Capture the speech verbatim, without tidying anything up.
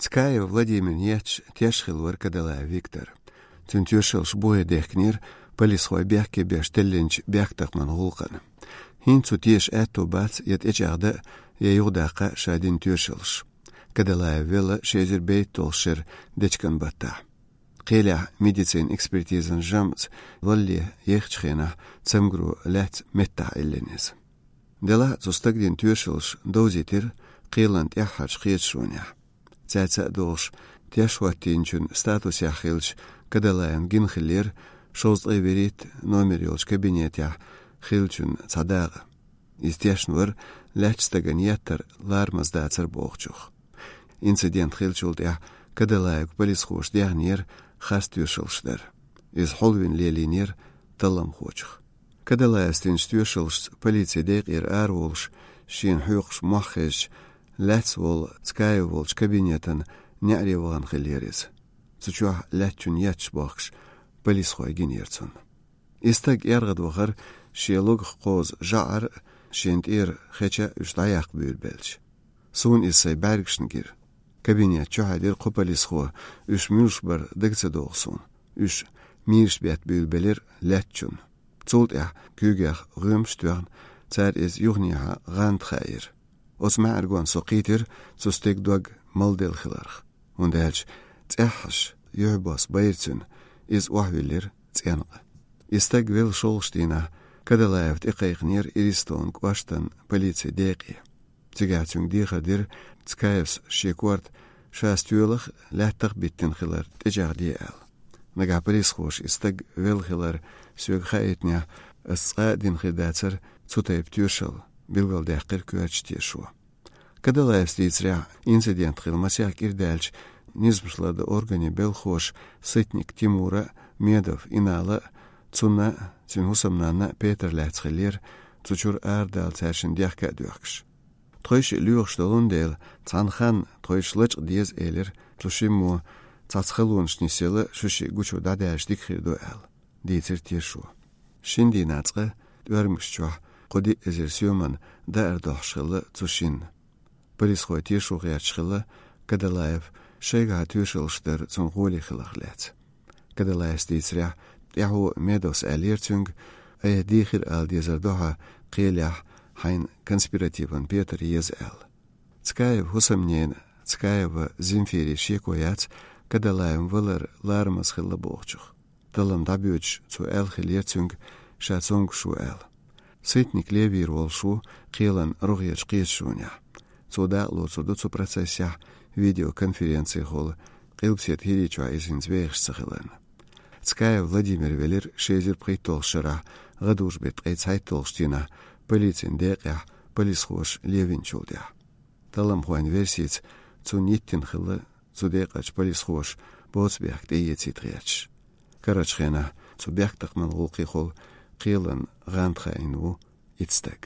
Цкаев Владимирна етташ теш хилла вара Кадалаев Виктор. Цуьнан тоьшаллаш бухе дехкинера полисхой бехке беш теллинчу бехктакхаман гӀуллакхана. ХӀинца цо теша аьтто бац я тӀечӀагӀдан, я юхадаккха ша дина тоьшаллаш. Кадалаев велла ши эзар бӀаьстенаш долчу шеран дечкен баттахь. Кхелехь медицинан экспертизан жамӀца валле ехачу хенахь цамгаро лаьцна меттахь Ӏиллина иза. Делахь а цу стага дина тоьшаллаш довзийтира кхелан тӀаьххьарчу кхеташонехь. Цаьрца а догӀуш, теш хӀоттийначун статусехь хиллачу Кадалаевна гина хиллера шовзткъе вуьрхӀитта номер йолчу кабинетехь хиллачун цхьа дакъа. Иза тешна вара лаьттачу стагана еттар ларамаза дацара бохучух. Инцидент хиллачул тӀаьхьа Кадалаевга полисхоша дехнера харц тоьшаллаш дар. Иза хьулвина лелийнера талламхочух. Кадалаевс динчу тоьшаллашца полицин декъера араволуш, шена хьоькхуш мохь хезча, лаьцна волу Цкаев волчу кабинетан неӀаре вахана хиллера иза. Цу чохь лаьттачунна етташ бохкуш, полисхой гинера цунна. И стаг эргӀад вахара шен логах кхозу жӀар а, шена тӀера хеча а уьш дӀаяккха буьйлабелча. Суна иза сайн бӀаьргашна гира. Кабинет чу хьаьдира кхо полисхо, уьш муьлш бара дага ца догӀу суна. Уьш мийраш бетта буьйлабелира лаьттачунна. Цул тӀаьхьа куьйгех гӀоьмаш а тоьхна, цара иза юханехьа гӀанта хаийра. Оцу маьӀаргонна со кхийтира цу стеган дог малделла хиларх. ХӀунда аьлча цӀеххьаш юьхьбосса байра цуьнан, иза охьавиллира цӀенкъа. И стаг велла шолгӀачу дийнахь Кадалаев тӀекхайкхинера Иристонан кӀоштан полицин декъе. Цигахь цуьнга дехар дира, Цкаевс шен корта ша стоьлах а, лаьттах а биттина хилар тӀечӀагӀде аьлла. Нагахь полисхоша и стаг велла хилар соьга хаийтинехь, ас цкъа а дина хир дацара цу тайпа тоьшалла, билгалдаьккхира коьртачу тешо. Кадалаевс дийцарехь, инцидент хилла масех кӀира даьлча, низамаш лардан органийн белхахоша Сытник Тимура а, Медов Инала а, цунна а, цуьнан хӀусамнанна а петар лаьцна хиллера, цу чуьра арадала цаьршинна дехка а доьхкуш. Тхойшиъ лоьхуш долун дела, цхьана ханна тхойшиъ лачкъа деза элира, цу шиммо цхьацца халонаш нисъелла шу шиъ гучу дӀадаьлча дика хир ду аьлла, дийцира тешо. Шина дийнахь цкъа тӀоьрмигаш чохь кхо-диъ эзар соьман даар дохьуш хилла цу шинна. Полисхой тешо гӀерташ хилла Кадалаев шайгахьа тоьшаллаш дар цунна гӀоле хиларх лаьцна. Кадалаевс дийцарехь, тӀаьхьо Медовс аьллера цуьнга, айхьа дийхира ала дезар ду хьан кхелехь хьайна конспиративан петар еза аьлла. Цкаевн хӀусамненан, Цкаева Земфирин шеко яц Кадалаевн валар ларамаза хилла бохучух. Таллам дӀабоьдуш цо аьлла хиллера цуьнга, ша цомгуш ву аьлла. Сытник левийр волуш ву кхелан рогӀерчу кхеташонехь. Цо дакъа лоцур ду цу процессехь, видеоконференцехула, Къилбаседа ХӀирийчохь иза хӀинца вехаш ца хиларна. Цкаев Владимир велира ши эзар пхийтталгӀачу шарахь, гӀадужу беттан ткъе цхьайтталгӀачу дийнахь, полицин декъехь полисхоша левинчул тӀаьхьа. Талламхойн версица, цунна йиттина хилла цу декъачу полисхоша боцу бехк тӀеэцийта гӀерташ. Карарчу хенахь цу бехктакхаман гӀуллакхехула кхелан гӀанта хаийна ву итт стаг.